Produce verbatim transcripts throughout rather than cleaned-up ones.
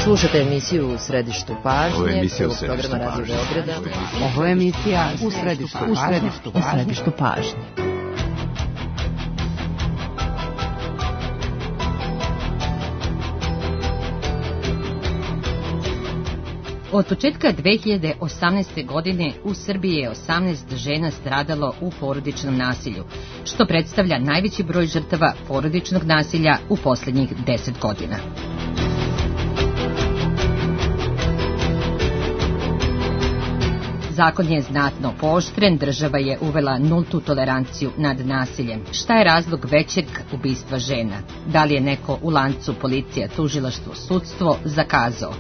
Slušate emisiju U središtu pažnje. Ovo je emisija U središtu programa Radio Beograda. Ovo je emisija U središtu pažnje. U središtu pažnje. U središtu pažnje. Od početka dve hiljade osamnaeste. godine u Srbiji je osamnaest žena stradalo u porodičnom nasilju, što predstavlja najveći broj žrtava porodičnog nasilja u poslednjih deset godina. Zakon je znatno pooštren, država je uvela nultu toleranciju nad nasiljem. Šta je razlog većeg ubistva žena? Da li je neko u lancu policija, tužilaštvo, sudstvo zakazao?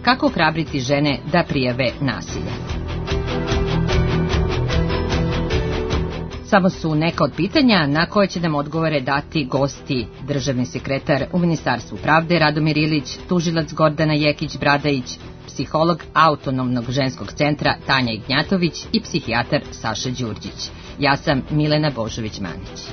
Kako ohrabriti žene da prijave nasilje? Samo su neka od pitanja na koje će nam odgovore dati gosti: državni sekretar u Ministarstvu pravde Radomir Ilić, tužilac Gordana Jekić-Bradajić, psiholog Autonomnog ženskog centra Tanja Ignjatović i psihijatar Saša Đurđić. Ja sam Milena Božović-Manić.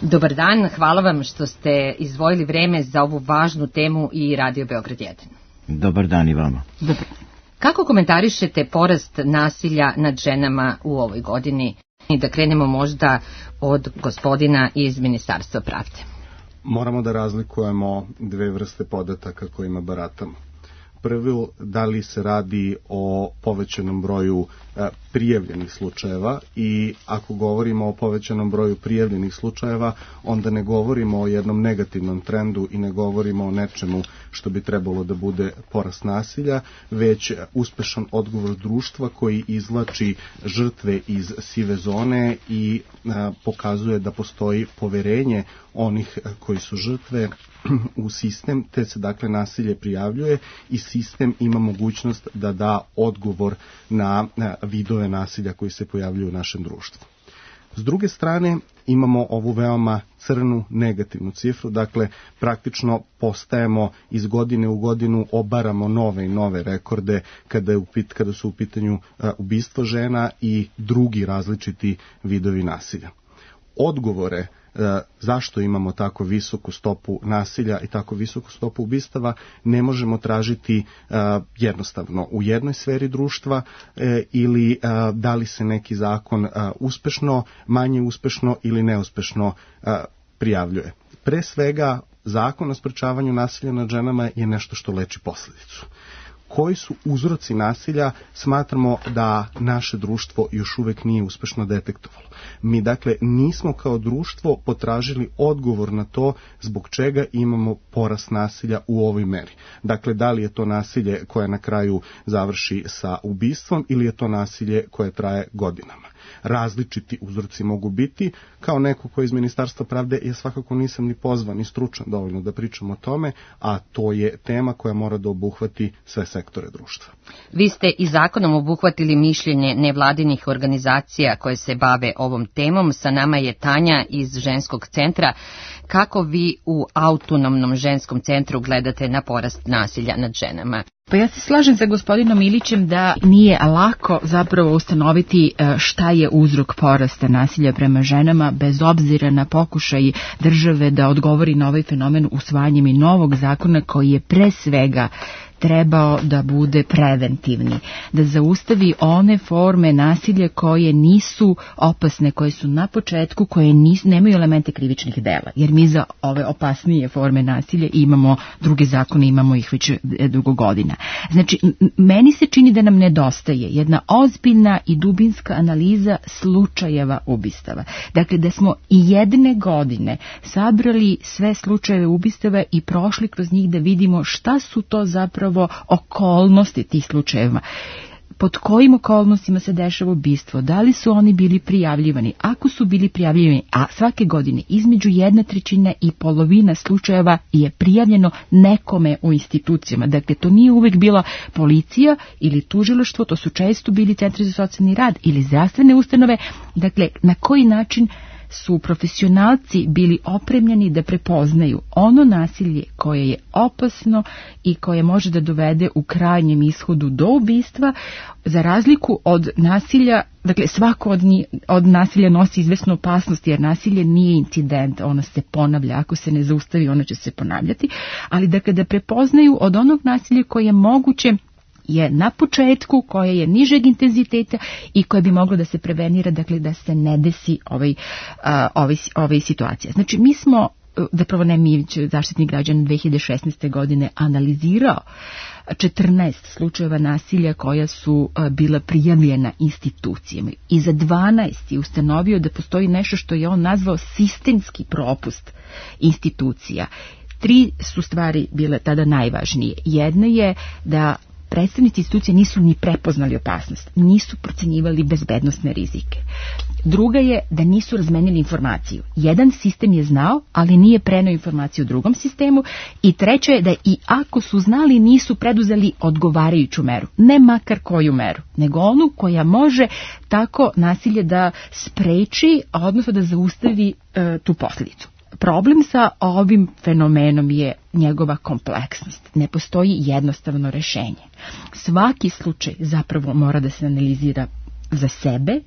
Dobar dan, hvala vam što ste izdvojili vreme za ovu važnu temu i Radio Beograd jedan. Dobar dan i vama. Dobar. Kako komentarišete porast nasilja nad ženama u ovoj godini? I da krenemo možda od gospodina iz Ministarstva pravde. Moramo da razlikujemo dve vrste podataka kojima baratamo. Prvo, da li se radi o povećanom broju e, prijavljenih slučajeva, i ako govorimo o povećanom broju prijavljenih slučajeva, onda ne govorimo o jednom negativnom trendu i ne govorimo o nečemu što bi trebalo da bude porast nasilja, već uspešan odgovor društva koji izvlači žrtve iz sive zone i e, pokazuje da postoji poverenje onih koji su žrtve u sistem, te se dakle nasilje prijavljuje i sistem ima mogućnost da da odgovor na vidove nasilja koji se pojavljuju u našem društvu. S druge strane, imamo ovu veoma crnu negativnu cifru, dakle praktično postajemo iz godine u godinu, obaramo nove i nove rekorde kada, je upit, kada su u pitanju ubistvo žena i drugi različiti vidovi nasilja. Odgovore zašto imamo tako visoku stopu nasilja i tako visoku stopu ubistava ne možemo tražiti uh, jednostavno u jednoj sferi društva uh, ili uh, da li se neki zakon uh, uspešno, manje uspešno ili neuspešno uh, prijavljuje. Pre svega, zakon o sprečavanju nasilja nad ženama je nešto što leči posledicu. Koji su uzroci nasilja, smatramo da naše društvo još uvek nije uspešno detektovalo. Mi dakle nismo kao društvo potražili odgovor na to zbog čega imamo porast nasilja u ovoj meri. Dakle, da li je to nasilje koje na kraju završi sa ubistvom ili je to nasilje koje traje godinama. Različiti uzroci mogu biti. Kao neko ko je iz Ministarstva pravde, ja svakako nisam ni pozvan ni stručan dovoljno da pričam o tome, a to je tema koja mora da obuhvati sve sektore društva. Vi ste i zakonom obuhvatili mišljenje nevladinih organizacija koje se bave ovom temom. Sa nama je Tanja iz ženskog centra. Kako vi u Autonomnom ženskom centru gledate na porast nasilja nad ženama? Pa ja se slažem sa gospodinom Ilićem da nije lako zapravo ustanoviti šta je uzrok porasta nasilja prema ženama, bez obzira na pokušaj države da odgovori na ovaj fenomen usvajanjem i novog zakona koji je pre svega trebao da bude preventivni, da zaustavi one forme nasilja koje nisu opasne, koje su na početku, koje nisu, nemaju elemente krivičnih dela, jer mi za ove opasnije forme nasilja imamo druge zakone, imamo ih već dugo godina. Znači, meni se čini da nam nedostaje jedna ozbiljna i dubinska analiza slučajeva ubistava. Dakle, da smo i jedne godine sabrali sve slučajeve ubistava i prošli kroz njih da vidimo šta su to zapravo okolnosti tih slučajeva. Pod kojim okolnostima se dešava ubistvo, da li su oni bili prijavljivani, ako su bili prijavljivani, a svake godine između jedna trećina i polovina slučajeva je prijavljeno nekome u institucijama. Dakle, to nije uvek bila policija ili tužilaštvo, to su često bili centri za socijalni rad ili zdravstvene ustanove. Dakle, na koji način su profesionalci bili opremljeni da prepoznaju ono nasilje koje je opasno i koje može da dovede u krajnjem ishodu do ubistva, za razliku od nasilja. Dakle, svako od, njih, od nasilja nosi izvesnu opasnost, jer nasilje nije incident, ono se ponavlja, ako se ne zaustavi, ono će se ponavljati, ali da kada prepoznaju od onog nasilja koje je moguće, je na početku, koje je nižeg intenziteta i koje bi moglo da se prevenira, dakle da se ne desi ovaj, a, ovaj, ovaj situacija. Znači, mi smo, zapravo ne mi, Zaštitnik građana dve hiljade šesnaeste. godine analizirao četrnaest slučajeva nasilja koja su bila prijavljena institucijama i za dvanaest je ustanovio da postoji nešto što je on nazvao sistemski propust institucija. Tri su stvari bile tada najvažnije. Jedna je da predstavnici institucije nisu ni prepoznali opasnost, nisu procenjivali bezbednosne rizike. Druga je da nisu razmenili informaciju. Jedan sistem je znao, ali nije preneo informaciju u drugom sistemu. I treće je da i ako su znali, nisu preduzeli odgovarajuću meru. Ne makar koju meru, nego onu koja može tako nasilje da spreči, odnosno da zaustavi e, tu posljedicu. Problem sa ovim fenomenom je njegova kompleksnost. Ne postoji jednostavno rešenje. Svaki slučaj zapravo mora da se analizira za sebe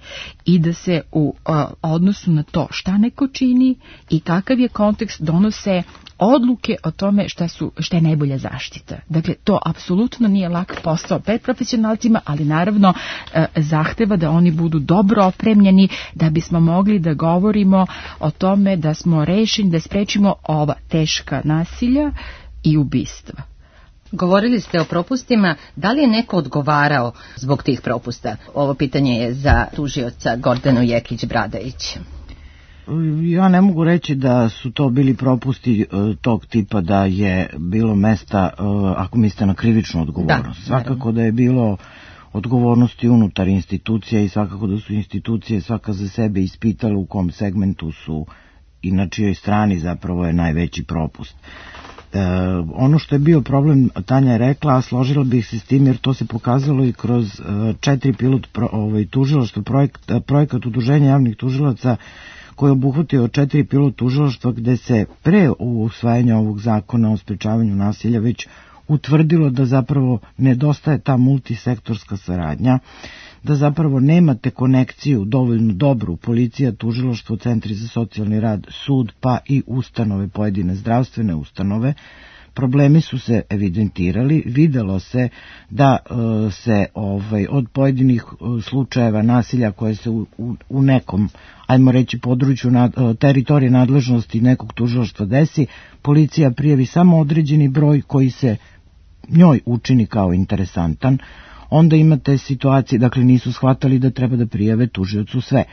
i da se u a, odnosu na to šta neko čini i kakav je kontekst donose odluke o tome šta, su, šta je najbolja zaštita. Dakle, to apsolutno nije lak posao pred profesionalcima, ali naravno e, zahteva da oni budu dobro opremljeni da bismo mogli da govorimo o tome da smo rešeni da sprečimo ova teška nasilja i ubistva. Govorili ste o propustima, da li je neko odgovarao zbog tih propusta? Ovo pitanje je za tužioca Gordanu Jekić-Bradajić. Ja ne mogu reći da su to bili propusti uh, tog tipa da je bilo mesta, uh, ako mislite na krivičnu odgovornost. Da, svakako da je bilo odgovornosti unutar institucija i svakako da su institucije svaka za sebe ispitale u kom segmentu su i na čijoj strani zapravo je najveći propust. E, ono što je bio problem, Tanja je rekla, a složila bih se s tim jer to se pokazalo i kroz e, četiri pilot pro, ovaj, tužilaštva, projekt, projekat udruženja javnih tužilaca koji je obuhvatio četiri pilot tužilaštva gde se pre usvajanja ovog zakona o sprečavanju nasilja već utvrdilo da zapravo nedostaje ta multisektorska saradnja, da zapravo nemate konekciju dovoljno dobru, policija, tužilaštvo, centri za socijalni rad, sud, pa i ustanove, pojedine zdravstvene ustanove. Problemi su se evidentirali, videlo se da e, se ovaj, od pojedinih e, slučajeva nasilja koje se u, u, u nekom, ajmo reći, području nad, e, teritorije nadležnosti nekog tužilaštva desi, policija prijavi samo određeni broj koji se njoj učini kao interesantan. Onda imate situaciju, dakle nisu shvatali da treba da prijave tužiocu sve.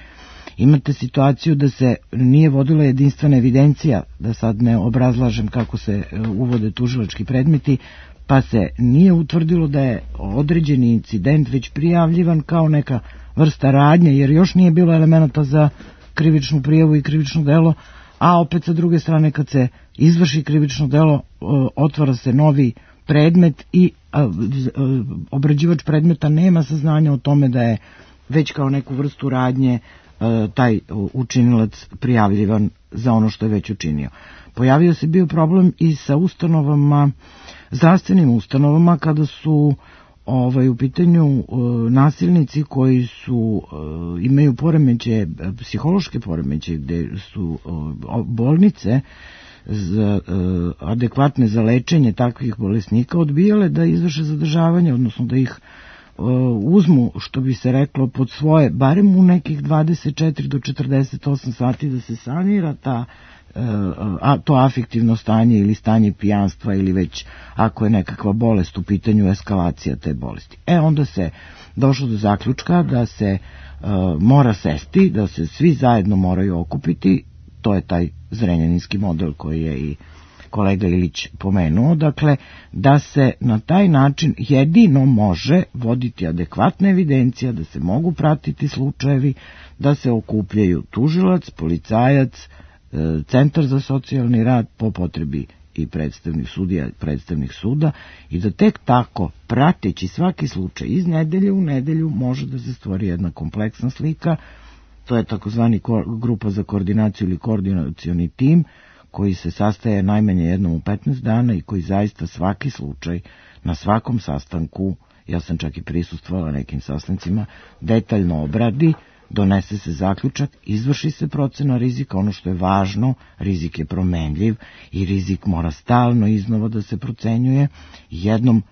Imate situaciju da se nije vodila jedinstvena evidencija, da sad ne obrazlažem kako se uvode tužilački predmeti, pa se nije utvrdilo da je određeni incident već prijavljivan kao neka vrsta radnje, jer još nije bilo elemenata za krivičnu prijavu i krivično delo, a opet sa druge strane kad se izvrši krivično delo, otvara se novi predmet i a, a, obrađivač predmeta nema saznanja o tome da je već kao neku vrstu radnje a, taj učinilac prijavljivan za ono što je već učinio. Pojavio se bio problem i sa ustanovama, zdravstvenim ustanovama kada su ovaj, u pitanju a, nasilnici koji su a, imaju poremeće, psihološke poremeće gde su a, bolnice za, e, adekvatne za lečenje takvih bolesnika odbijale da izvrše zadržavanje, odnosno da ih e, uzmu, što bi se reklo, pod svoje, barem u nekih dvadeset četiri do četrdeset osam sati da se sanira ta, e, a, to afektivno stanje ili stanje pijanstva ili već ako je nekakva bolest u pitanju eskalacija te bolesti. E onda se došlo do zaključka da se e, mora sesti, da se svi zajedno moraju okupiti. To je taj zrenjaninski model koji je i kolega Ilić pomenuo, dakle da se na taj način jedino može voditi adekvatna evidencija, da se mogu pratiti slučajevi, da se okupljaju tužilac, policajac, centar za socijalni rad, po potrebi i predstavnik sudija, predstavnik suda, i da tek tako, prateći svaki slučaj iz nedelje u nedelju, može da se stvori jedna kompleksna slika To je takozvani grupa za koordinaciju ili koordinacioni tim koji se sastaje najmanje jednom u petnaest dana i koji zaista svaki slučaj na svakom sastanku, ja sam čak i prisustvovala nekim sastancima, detaljno obradi, donese se zaključak, izvrši se procena rizika. Ono što je važno, rizik je promenljiv i rizik mora stalno iznova da se procenjuje. Jednom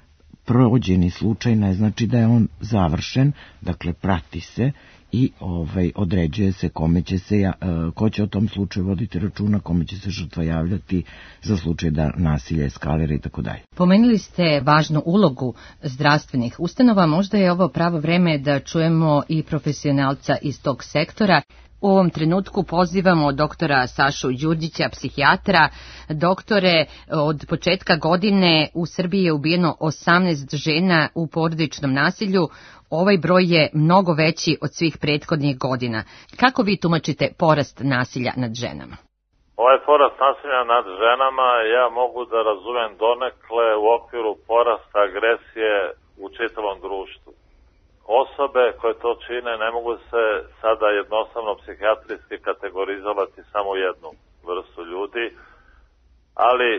prođeni slučaj ne znači da je on završen, dakle prati se i ovaj, određuje se kome će se, ko će o tom slučaju voditi računa, kome će se žrtva javljati za slučaj da nasilje eskalira i tako dalje. Pomenuli ste važnu ulogu zdravstvenih ustanova, možda je ovo pravo vreme da čujemo i profesionalca iz tog sektora. U ovom trenutku pozivamo doktora Sašu Đurđića, psihijatra. Doktore, od početka godine u Srbiji je ubijeno osamnaest žena u porodičnom nasilju. Ovaj broj je mnogo veći od svih prethodnih godina. Kako vi tumačite porast nasilja nad ženama? Ovaj porast nasilja nad ženama ja mogu da razumem donekle u okviru porasta agresije u čitavom društvu. Osobe koje to čine ne mogu se sada jednostavno psihijatrijski kategorizovati samo jednu vrstu ljudi, ali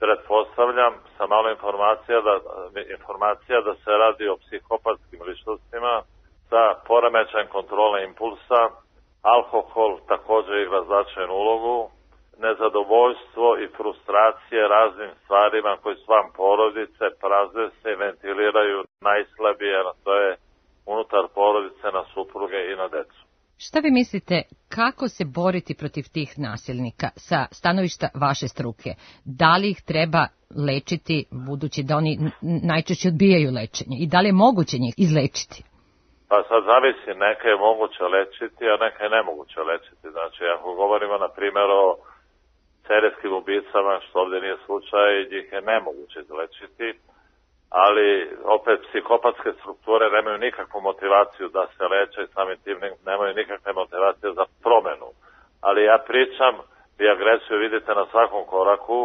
pretpostavljam sa malo informacija da, informacija da se radi o psihopatskim ličnostima sa poremećajem kontrole impulsa. Alkohol također igra značajnu ulogu, nezadovoljstvo i frustracije raznim stvarima koji su van porodice, prazne se i ventiliraju najslabije, a to je unutar porodice na supruge i na decu. Šta vi mislite, kako se boriti protiv tih nasilnika sa stanovišta vaše struke? Da li ih treba lečiti, budući da oni najčešće odbijaju lečenje? I da li je moguće njih izlečiti? Pa sad zavisi, neke je moguće lečiti, a neke je nemoguće lečiti. Znači, ako govorimo na primjer o serijskim ubicama, što ovdje nije slučaj, njih je nemoguće izlečiti, ali opet psihopatske strukture nemaju nikakvu motivaciju da se leče i samim tim nemaju nikakve motivacije za promenu. Ali ja pričam i agresiju vidite na svakom koraku,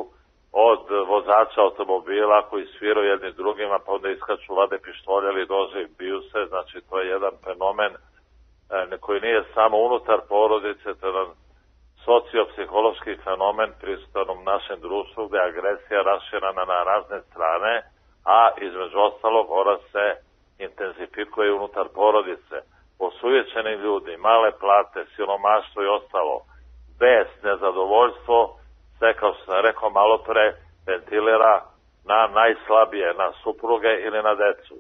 od vozača automobila koji sviraju jedni drugima, pa onda iskaču, vade pištolje ili nože i biju se. Znači to je jedan fenomen koji nije samo unutar porodice, to je jedan sociopsihološki fenomen prisutan u našem društvu gdje je agresija raširana na razne strane, a između ostalog ona se intenzifikuje unutar porodice. Osujećeni ljudi, male plate, siromaštvo i ostalo, bez nezadovoljstvo, sve kao što sam rekao malo pre, ventilira na najslabije, na supruge ili na decu.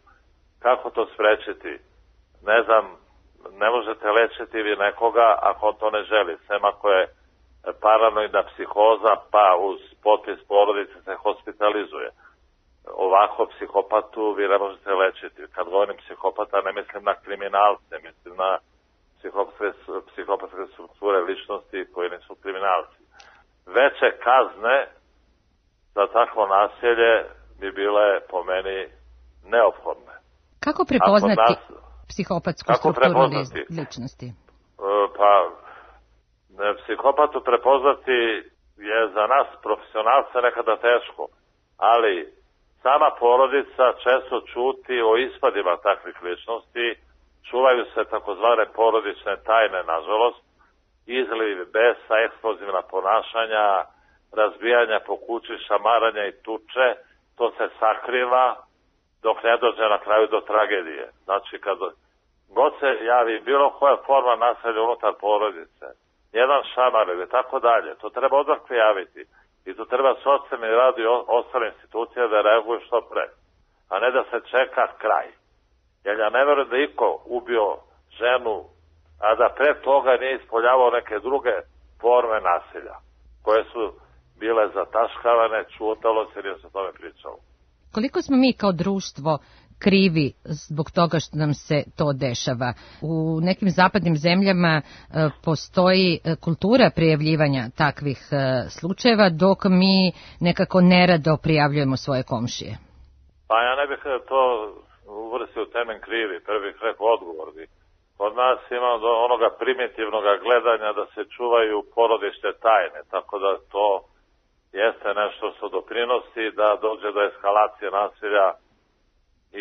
Kako to sprečiti? Ne znam, ne možete lečiti vi nekoga ako on to ne želi. Sem ako je paranoidna psihoza, pa uz potpis porodice se hospitalizuje. Ovako psihopatu vi ne možete lečiti. Kad govorim psihopata ne mislim na kriminalce, mislim na psihopatske, psihopatske strukture ličnosti koji nisu kriminalci. Veće kazne za takvo nasilje bi bile po meni neophodne. Kako prepoznati nas, psihopatsku kako strukturu prepoznati? ličnosti? Pa psihopatu prepoznati je za nas profesionalce nekada teško, ali sama porodica često čuti o ispadima takvih ličnosti, čuvaju se takozvane porodične tajne, nažalost, izliv besa, eksplozivna ponašanja, razbijanja po kući, šamaranja i tuče, to se sakriva dok ne dođe na kraju do tragedije. Znači, kad god se javi bilo koja forma nasilja unutar porodice, jedan šamar ili tako dalje, to treba odmah prijaviti. I tu treba socijalni rad i ostale institucije da reaguju što pre, a ne da se čeka kraj. Jer ja ne verujem da iko ubio ženu, a da pre toga nije ispoljavao neke druge forme nasilja, koje su bile zataškavane, čutalo se, nije se o tome pričalo. Koliko smo mi kao društvo krivi zbog toga što nam se to dešava? U nekim zapadnim zemljama e, postoji kultura prijavljivanja takvih e, slučajeva, dok mi nekako nerado prijavljujemo svoje komšije. Pa ja ne bih to uvrstio u temen krivi, prvi bih rekao odgovorni. Kod nas ima do onoga primitivnog gledanja da se čuvaju porodične tajne, tako da to jeste nešto što doprinosi da dođe do eskalacije nasilja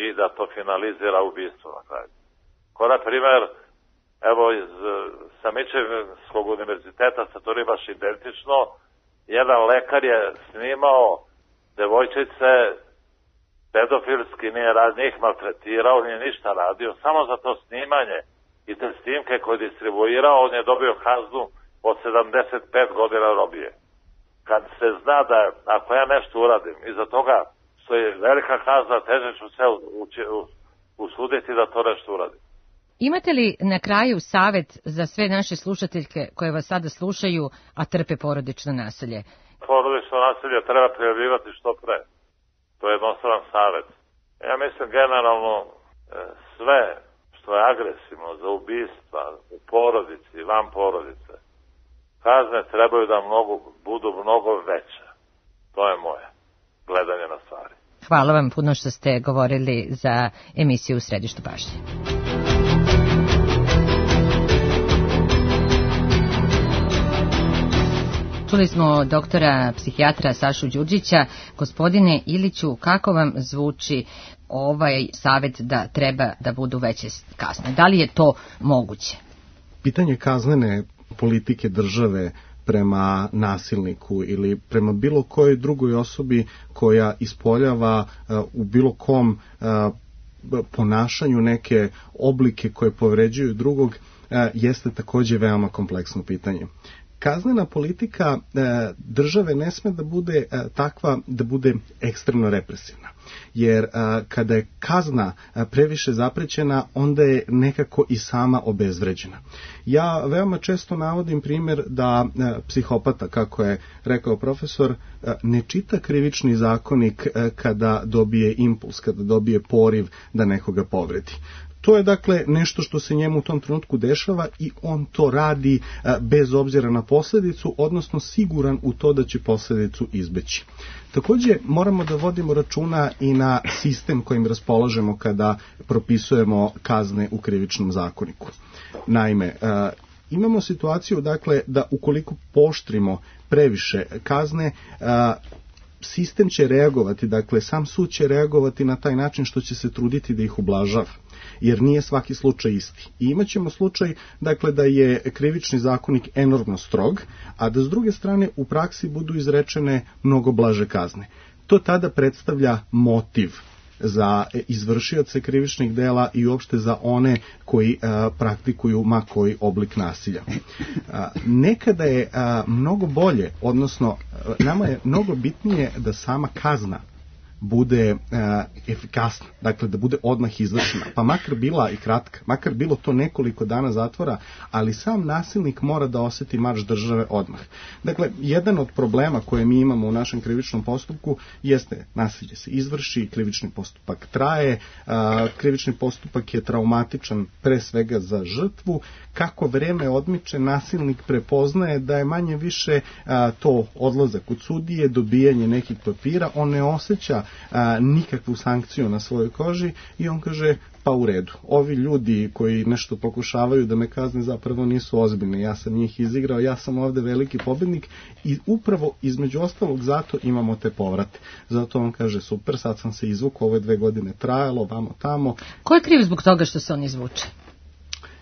i da to finalizira ubistvo na kraju. Ko na primjer Evo iz Samičevskog univerziteta se to nije baš identično. Jedan lekar je snimao devojčice pedofilski, nije rad, njih maltretirao, nije ništa radio, samo za to snimanje i te snimke koje je distribuirao, on je dobio kaznu od sedamdeset pet godina robije. Kad se zna da ako ja nešto uradim, iza toga što je velika kazna, teže ću se usuditi da to nešto uradim. Imate li na kraju savet za sve naše slušateljke koje vas sada slušaju, a trpe porodično nasilje? Porodično nasilje treba prijavljivati što pre. To je jednostavan savet. Ja mislim generalno sve što je agresivno za ubistva u porodici i van porodice, kazne trebaju da mnogo, budu mnogo veće. To je moje gledanje na stvari. Hvala vam puno što ste govorili za emisiju U središtu pažnje. Čuli smo doktora psihijatra Sašu Đurđića. Gospodine Iliću, kako vam zvuči ovaj savjet da treba da budu veće kazne? Da li je to moguće? Pitanje kaznene politike države prema nasilniku ili prema bilo kojoj drugoj osobi koja ispoljava uh, u bilo kom uh, ponašanju neke oblike koje povređuju drugog uh, jeste takođe veoma kompleksno pitanje. Kaznena politika e, države ne sme da bude e, takva da bude ekstremno represivna. Jer e, kada je kazna e, previše zaprećena, onda je nekako i sama obezvređena. Ja veoma često navodim primjer da e, psihopata, kako je rekao profesor, e, ne čita krivični zakonik e, kada dobije impuls, kada dobije poriv da nekoga povredi. To je dakle nešto što se njemu u tom trenutku dešava i on to radi a, bez obzira na posljedicu, odnosno siguran u to da će posljedicu izbeći. Također moramo da vodimo računa i na sistem kojim raspolažemo kada propisujemo kazne u krivičnom zakoniku. Naime, a, imamo situaciju dakle da ukoliko pooštrimo previše kazne, a, sistem će reagovati, dakle sam sud će reagovati na taj način što će se truditi da ih ublažava, jer nije svaki slučaj isti. I imat ćemo slučaj dakle, da je krivični zakonik enormno strog, a da s druge strane u praksi budu izrečene mnogo blaže kazne. To tada predstavlja motiv za izvršioce krivičnih dela i uopšte za one koji a, praktikuju ma koji oblik nasilja. A, nekada je a, mnogo bolje, odnosno a, nama je mnogo bitnije da sama kazna bude uh, efikasna, dakle da bude odmah izvršena, pa makar bila i kratka, makar bilo to nekoliko dana zatvora, ali sam nasilnik mora da osjeti marš države odmah. Dakle, jedan od problema koje mi imamo u našem krivičnom postupku jeste nasilje se izvrši, krivični postupak traje, uh, krivični postupak je traumatičan pre svega za žrtvu, kako vreme odmiče, nasilnik prepoznaje da je manje više uh, to odlazak od sudije, dobijanje nekih papira, on ne osjeća A, nikakvu sankciju na svojoj koži i on kaže pa u redu. Ovi ljudi koji nešto pokušavaju da me kazne zapravo nisu ozbiljni. Ja sam njih izigrao, ja sam ovde veliki pobednik i upravo između ostalog zato imamo te povrate. Zato on kaže super, sad sam se izvukao, ove dve godine trajalo, vamo tamo. Ko je kriv zbog toga što se on izvuče?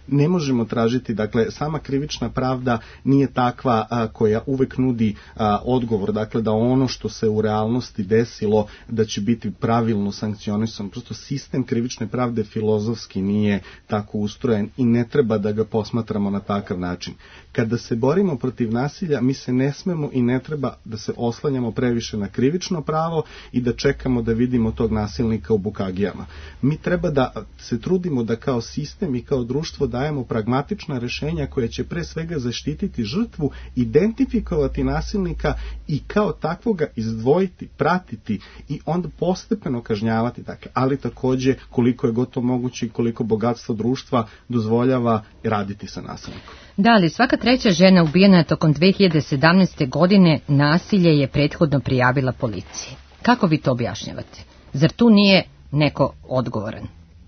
Ne možemo tražiti, dakle, sama krivična pravda nije takva a, koja uvek nudi a, odgovor, dakle, da ono što se u realnosti desilo, da će biti pravilno sankcionisan. Prosto sistem krivične pravde filozofski nije tako ustrojen i ne treba da ga posmatramo na takav način. Kada se borimo protiv nasilja, mi se ne smemo i ne treba da se oslanjamo previše na krivično pravo i da čekamo da vidimo tog nasilnika u bukagijama. Mi treba da se trudimo da kao sistem i kao društvo dajemo pragmatična rešenja koja će pre svega zaštititi žrtvu, identifikovati nasilnika i kao takvoga izdvojiti, pratiti i onda postepeno kažnjavati. Dakle, ali takođe koliko je gotovo moguće i koliko bogatstvo društva dozvoljava raditi sa nasilnikom. Da, ali svaka treća žena ubijena tokom dve hiljade sedamnaeste. godine nasilje je prethodno prijavila policiji. Kako vi to objašnjavate? Zar tu nije neko odgovoran?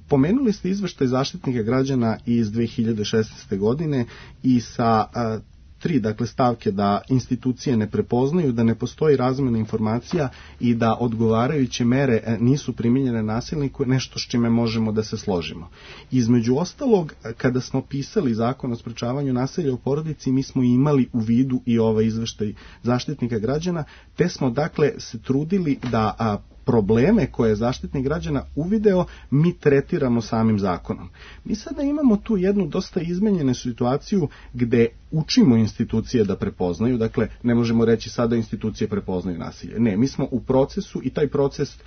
Pomenuli ste izveštaj Zaštitnika građana iz dve hiljade šesnaeste. godine i sa a, tri dakle, stavke da institucije ne prepoznaju, da ne postoji razmjena informacija i da odgovarajuće mere nisu primijenjene nasilniku, nešto s čime možemo da se složimo. Između ostalog, kada smo pisali zakon o sprečavanju nasilja u porodici, mi smo imali u vidu i ovaj izveštaj Zaštitnika građana, te smo dakle se trudili da a, probleme koje je Zaštitnik građana uvideo, mi tretiramo samim zakonom. Mi sada imamo tu jednu dosta izmenjenu situaciju gde učimo institucije da prepoznaju, dakle ne možemo reći sada institucije prepoznaju nasilje. Ne, mi smo u procesu i taj proces uh,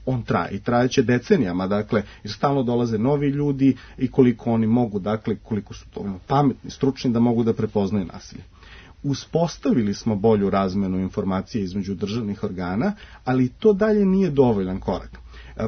on traje i trajeće decenijama, dakle jer stalno dolaze novi ljudi i koliko oni mogu, dakle koliko su to pametni, stručni da mogu da prepoznaju nasilje. Uspostavili smo bolju razmenu informacije između državnih organa, ali to dalje nije dovoljan korak.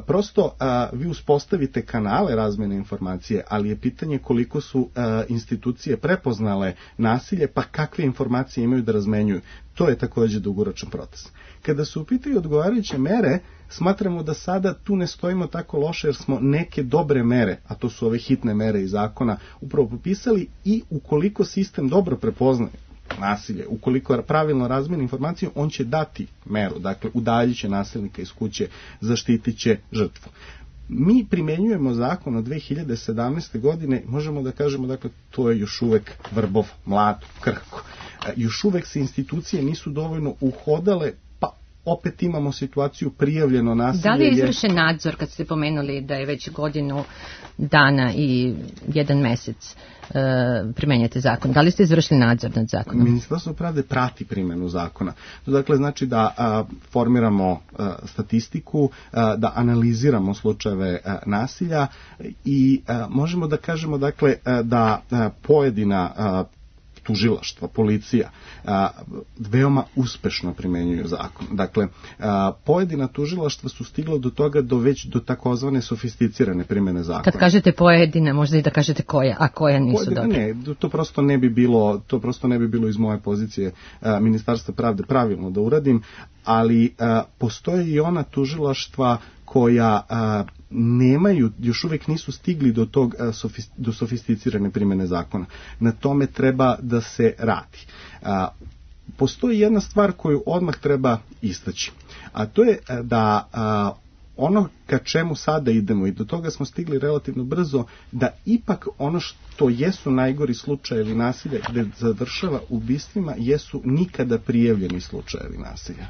Prosto a, vi uspostavite kanale razmene informacije, ali je pitanje koliko su a, institucije prepoznale nasilje, pa kakve informacije imaju da razmenjuju. To je također dugoročan proces. Kada su u pitanju odgovarajuće mere, smatramo da sada tu ne stojimo tako loše jer smo neke dobre mere, a to su ove hitne mere iz zakona, upravo popisali i ukoliko sistem dobro prepoznaje nasilje, ukoliko pravilno razmijeni informaciju, on će dati meru, dakle udaljit će nasilnika iz kuće, zaštitit će žrtvu. Mi primjenjujemo zakon od dve hiljade sedamnaeste. godine, možemo da kažemo, dakle, to je još uvek vrbov, mlad, krhko. Još uvek se institucije nisu dovoljno uhodale, pa opet imamo situaciju prijavljeno nasilje. Da li je izvršen nadzor, kad ste pomenuli da je već godinu dana i jedan mesec e, primenjate zakon? Da li ste izvršili nadzor nad zakonom? Ministarstvo pravde prati primjenu zakona. To dakle znači da a, formiramo a, statistiku, a, da analiziramo slučajeve a, nasilja i a, možemo da kažemo dakle a, da a, pojedina a, tužilaštva, policija, a, veoma uspešno primenjuju zakon. Dakle, a, pojedina tužilaštva su stigla do toga do već do takozvane sofisticirane primjene zakona. Kad kažete pojedina, možda i da kažete koja, a koja nisu pojedina, dobre? Ne, to prosto ne bi bilo, to prosto ne bi bilo iz moje pozicije a, Ministarstva pravde pravilno da uradim, ali a, postoje i ona tužilaštva koja a, nemaju, još uvijek nisu stigli do tog a, sofist, do sofisticirane primjene zakona. Na tome treba da se radi. A, postoji jedna stvar koju odmah treba istaći, a to je a, da a, ono ka čemu sada idemo i do toga smo stigli relativno brzo, da ipak ono što jesu najgori slučajevi nasilja gde završava ubistvima jesu nikada prijavljeni slučajevi nasilja.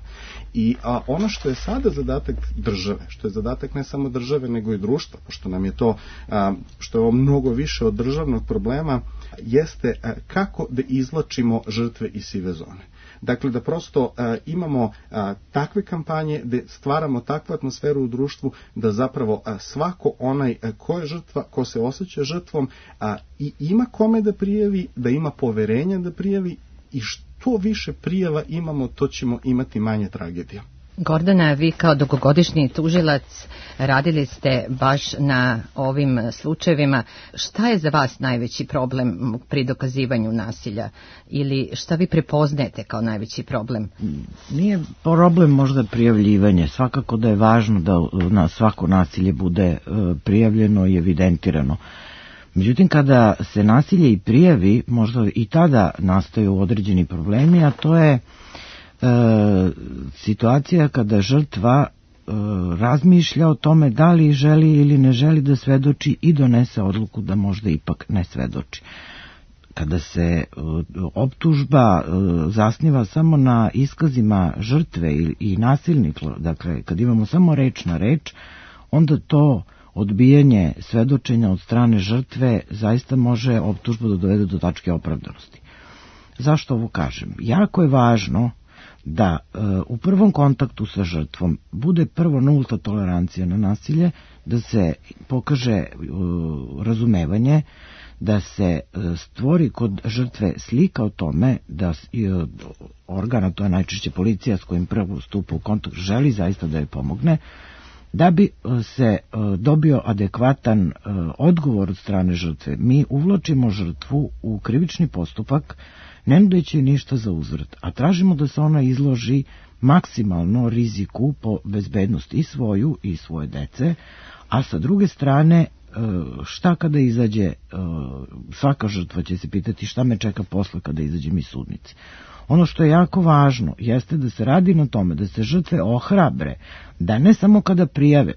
I a, ono što je sada zadatak države, što je zadatak ne samo države nego i društva, pošto nam je to, a, što je ovo mnogo više od državnog problema, jeste a, kako da izvlačimo žrtve iz sive zone. Dakle, da prosto a, imamo a, takve kampanje gde stvaramo takvu atmosferu u društvu da zapravo a, svako onaj a, ko je žrtva, ko se osjeća žrtvom a, i ima kome da prijavi, da ima poverenja da prijavi i što više prijava imamo, to ćemo imati manje tragedija. Gordana, vi kao dugogodišnji tužilac radili ste baš na ovim slučajevima. Šta je za vas najveći problem pri dokazivanju nasilja? Ili šta vi prepoznajete kao najveći problem? Nije problem možda prijavljivanje. Svakako da je važno da na svako nasilje bude prijavljeno i evidentirano. Međutim, kada se nasilje i prijavi, možda i tada nastaju određeni problemi, a to je E, situacija kada žrtva e, razmišlja o tome da li želi ili ne želi da svedoči i donese odluku da možda ipak ne svedoči. Kada se e, optužba e, zasniva samo na iskazima žrtve i, i nasilnika, dakle kad imamo samo reč na reč, onda to odbijanje svedočenja od strane žrtve zaista može optužbu da dovede do tačke opravdanosti. Zašto ovo kažem? Jako je važno da e, u prvom kontaktu sa žrtvom bude prvo nulta tolerancija na nasilje, da se pokaže e, razumevanje, da se e, stvori kod žrtve slika o tome da e, organa, to je najčešće policija s kojim prvo stupa u kontakt, želi zaista da je pomogne, da bi se e, dobio adekvatan e, odgovor od strane žrtve. Mi uvlačimo žrtvu u krivični postupak ne nudeći ništa za uzvrat, a tražimo da se ona izloži maksimalno riziku po bezbednost i svoju i svoje dece, a sa druge strane šta kada izađe, svaka žrtva će se pitati šta me čeka posle kada izađem iz sudnice. Ono što je jako važno jeste da se radi na tome da se žrtve ohrabre, da ne samo kada prijave,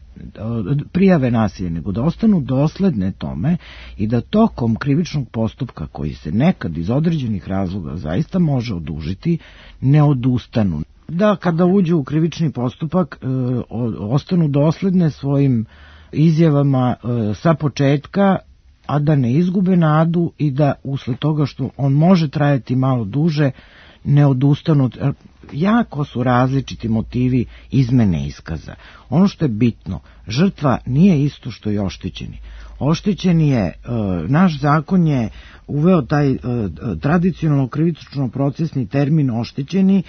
prijave nasilje, nego da ostanu dosledne tome i da tokom krivičnog postupka, koji se nekad iz određenih razloga zaista može odužiti, ne odustanu. Da kada uđu u krivični postupak ostanu dosledne svojim izjavama sa početka, a da ne izgube nadu i da usled toga što on može trajati malo duže, ne odustanu. Jako su različiti motivi izmene iskaza. Ono što je bitno, žrtva nije isto što i oštećeni. Oštećeni je, naš zakon je uveo taj tradicionalno krivično procesni termin oštećeni,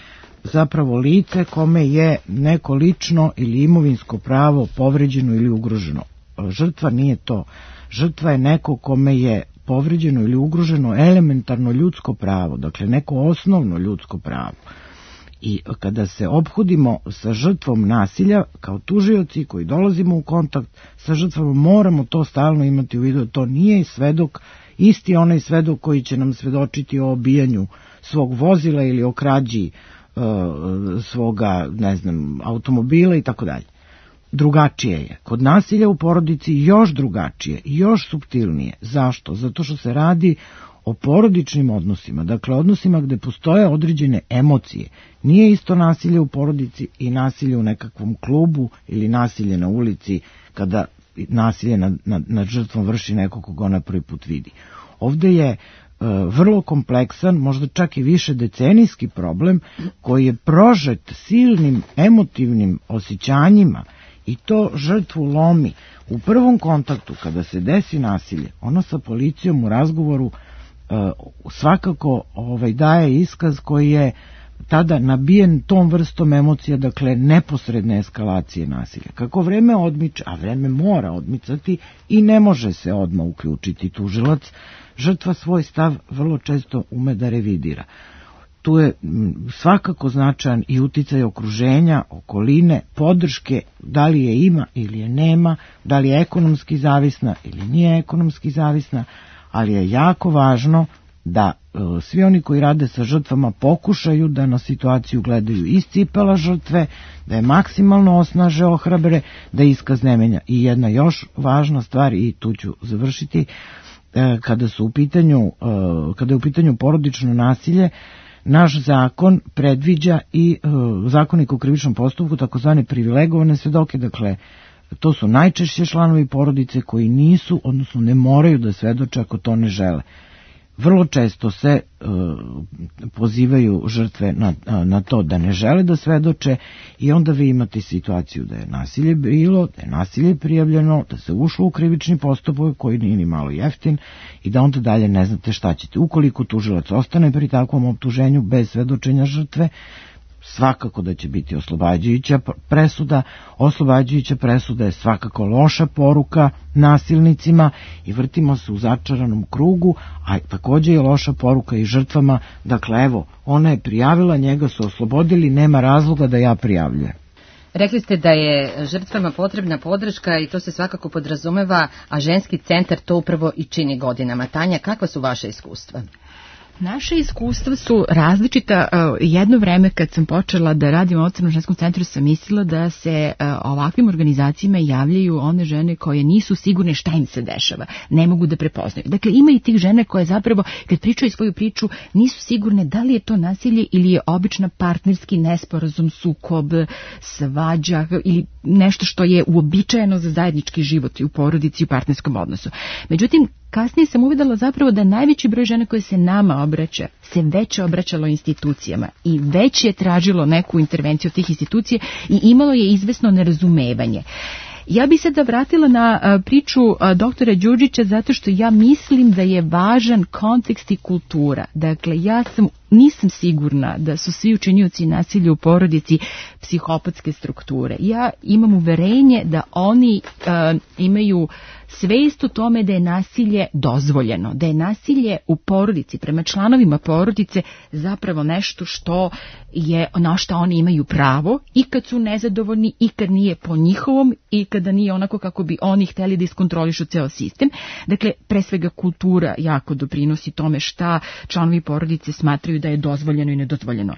zapravo lice kome je neko lično ili imovinsko pravo povređeno ili ugroženo. Žrtva nije to. Žrtva je neko kome je povređeno ili ugroženo elementarno ljudsko pravo, dakle neko osnovno ljudsko pravo. I kada se ophodimo sa žrtvom nasilja, kao tužioci koji dolazimo u kontakt sa žrtvama, moramo to stalno imati u vidu. To nije svedok, isti onaj svedok koji će nam svedočiti o obijanju svog vozila ili o krađi uh, svoga, ne znam, automobila i tako dalje. Drugačije je. Kod nasilja u porodici još drugačije, još suptilnije. Zašto? Zato što se radi o porodičnim odnosima, dakle odnosima gde postoje određene emocije. Nije isto nasilje u porodici i nasilje u nekakvom klubu ili nasilje na ulici kada nasilje nad, nad, nad žrtvom vrši neko koga ona prvi put vidi. Ovde je e, vrlo kompleksan, možda čak i više decenijski problem koji je prožet silnim emotivnim osjećanjima i to žrtvu lomi. U prvom kontaktu kada se desi nasilje, ona sa policijom u razgovoru svakako ovaj, daje iskaz koji je tada nabijen tom vrstom emocija, dakle neposredne eskalacije nasilja. Kako vreme odmiče, a vreme mora odmicati i ne može se odmah uključiti tužilac, žrtva svoj stav vrlo često ume da revidira. Tu je svakako značajan i uticaj okruženja, okoline, podrške, da li je ima ili je nema, da li je ekonomski zavisna ili nije ekonomski zavisna, ali je jako važno da e, svi oni koji rade sa žrtvama pokušaju da na situaciju gledaju iz cipela žrtve, da je maksimalno osnaže, ohrabre, da iskaz ne menja. I jedna još važna stvar, i tu ću završiti, e, kada su u pitanju, e, kada je u pitanju porodično nasilje, naš zakon predviđa i e, zakonik o krivičnom postupku takozvane privilegovane svedoke, dakle to su najčešće članovi porodice koji nisu, odnosno ne moraju da svedoče ako to ne žele. Vrlo često se e, pozivaju žrtve na, na to da ne žele da svedoče i onda vi imate situaciju da je nasilje bilo, da je nasilje prijavljeno, da se ušlo u krivični postupak koji nije ni malo jeftin i da onda dalje ne znate šta ćete. Ukoliko tužilac ostane pri takvom optuženju bez svedočenja žrtve, svakako da će biti oslobađajuća presuda. Oslobađajuća presuda je svakako loša poruka nasilnicima i vrtimo se u začaranom krugu, a takođe je loša poruka i žrtvama. Dakle, evo, ona je prijavila, njega su oslobodili, nema razloga da ja prijavljujem. Rekli ste da je žrtvama potrebna podrška i to se svakako podrazumeva, a ženski centar to upravo i čini godinama. Tanja, kakva su vaše iskustva? Naše iskustva su različita. Jedno vreme kad sam počela da radim u Ocrnom ženskom centru sam mislila da se ovakvim organizacijama javljaju one žene koje nisu sigurne šta im se dešava, ne mogu da prepoznaju. Dakle, ima i tih žene koje zapravo kad pričaju svoju priču nisu sigurne da li je to nasilje ili je obična partnerski nesporazum, sukob, svađa ili nešto što je uobičajeno za zajednički život i u porodici i u partnerskom odnosu. Međutim, kasnije sam uvidela zapravo da najveći broj žena koje se nama obraća se već obraćalo institucijama i već je tražilo neku intervenciju od tih institucija i imalo je izvesno nerazumevanje. Ja bih se da vratila na priču doktora Đurđića zato što ja mislim da je važan kontekst i kultura. Dakle, ja sam nisam sigurna da su svi učinioci nasilja u porodici psihopatske strukture. Ja imam uverenje da oni uh, imaju svest o tome da je nasilje dozvoljeno, da je nasilje u porodici, prema članovima porodice, zapravo nešto što je, na što oni imaju pravo i kad su nezadovoljni i kad nije po njihovom i kada nije onako kako bi oni hteli da iskontrolišu ceo sistem. Dakle, pre svega kultura jako doprinosi tome šta članovi porodice smatraju da je dozvoljeno i nedozvoljeno.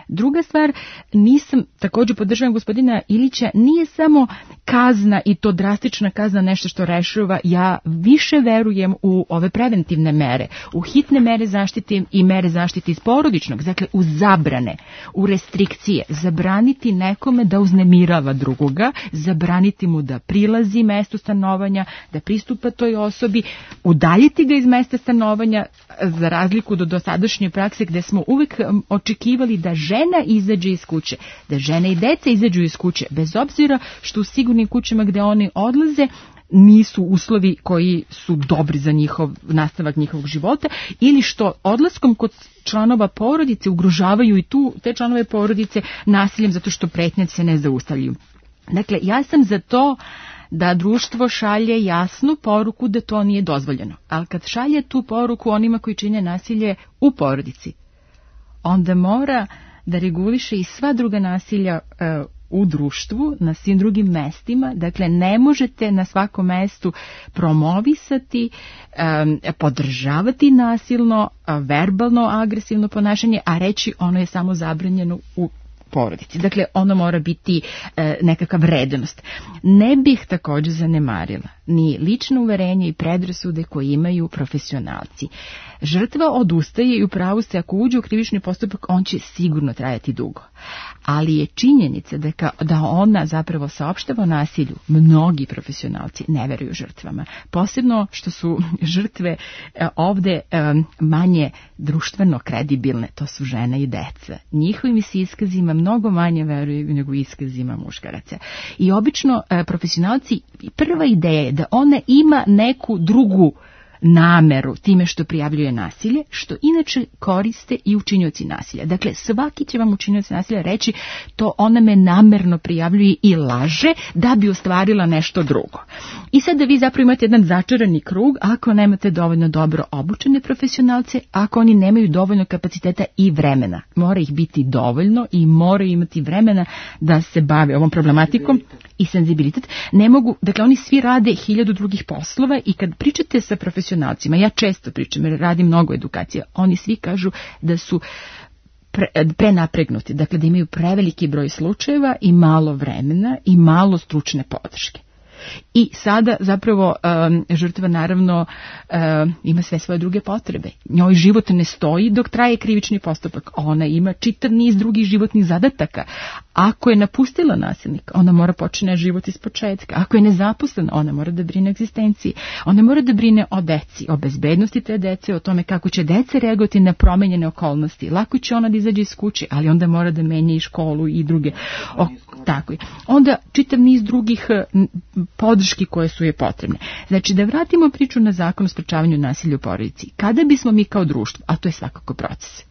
Druga stvar, nisam, također podržavam gospodina Ilića, nije samo kazna i to drastična kazna nešto što rešava. Ja više verujem u ove preventivne mere, u hitne mere zaštite i mere zaštite iz porodičnog, dakle u zabrane, u restrikcije, zabraniti nekome da uznemirava drugoga, zabraniti mu da prilazi mestu stanovanja, da pristupa toj osobi, udaljiti ga iz mesta stanovanja, za razliku do dosadašnje prakse gde smo uvek očekivali da žena izađe iz kuće, da žene i deca izađu iz kuće, bez obzira što u sigurnim kućama gde oni odlaze nisu uslovi koji su dobri za njihov nastavak njihovog života, ili što odlaskom kod članova porodice ugrožavaju i tu te članove porodice nasiljem zato što pretnje se ne zaustavljaju. Dakle, ja sam za to da društvo šalje jasnu poruku da to nije dozvoljeno. Ali kad šalje tu poruku onima koji čine nasilje u porodici, onda mora da reguliše i sva druga nasilja e, u društvu, na svim drugim mestima. Dakle, ne možete na svakom mestu promovisati, e, podržavati nasilno, verbalno, agresivno ponašanje, a reći ono je samo zabranjeno u porodici. Dakle, ono mora biti e, nekakva vrednost. Ne bih također zanemarila ni lično uverenje i predrasude koje imaju profesionalci. Žrtva odustaje i u pravu se, ako uđe u krivični postupak, on će sigurno trajati dugo. Ali je činjenica da, ka, da ona zapravo saopštava o nasilju. Mnogi profesionalci ne veruju žrtvama. Posebno što su žrtve e, ovde e, manje društveno kredibilne, to su žene i deca. Njihovim se iskazima mnogo manje veruju nego iskazima muškaraca. I obično e, profesionalci, prva ideja je da ona ima neku drugu nameru time što prijavljuje nasilje, što inače koriste i učinioci nasilja. Dakle, svaki će vam učinioc nasilja reći to ona me namerno prijavljuje i laže da bi ostvarila nešto drugo. I sad da vi zapravo imate jedan začarani krug ako nemate dovoljno dobro obučene profesionalce, ako oni nemaju dovoljno kapaciteta i vremena. Mora ih biti dovoljno i moraju imati vremena da se bave ovom problematikom i senzibilitet. Ne mogu, dakle oni svi rade hiljadu drugih poslova i kad pričate sa profesionalcima, ja često pričam jer radim mnogo edukacija, oni svi kažu da su pre, prenapregnuti, dakle da imaju preveliki broj slučajeva i malo vremena i malo stručne podrške. I sada zapravo um, žrtva naravno um, ima sve svoje druge potrebe. Njoj život ne stoji dok traje krivični postupak. Ona ima čitav niz drugih životnih zadataka. Ako je napustila nasilnika, ona mora počne život iz početka. Ako je nezaposlena, ona mora da brine o egzistenciji. Ona mora da brine o deci, o bezbednosti te dece, o tome kako će deca reagovati na promenjene okolnosti. Lako će ona da izađe iz kuće, ali onda mora da menja i školu i druge. O, tako je. Onda čitav niz drugih podrški koje su je potrebne. Znači, da vratimo priču na zakon o sprečavanju nasilja u porodici. Kada bismo mi kao društvo, a to je svakako proces,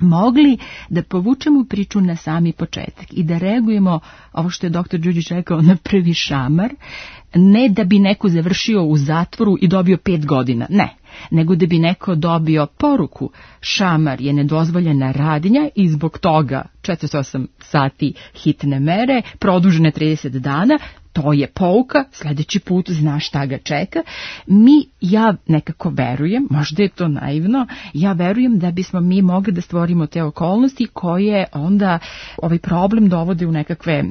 mogli da povučemo priču na sami početak i da reagujemo, ovo što je doktor Đuđić rekao, na prvi šamar, ne da bi neko završio u zatvoru i dobio pet godina, ne, nego da bi neko dobio poruku, šamar je nedozvoljena radnja i zbog toga četrdeset osam sati hitne mere, produžene trideset dana, to je pouka, sljedeći put znaš šta ga čeka. Mi, ja nekako verujem, možda je to naivno, ja verujem da bismo mi mogli da stvorimo te okolnosti koje onda ovaj problem dovode u nekakve e,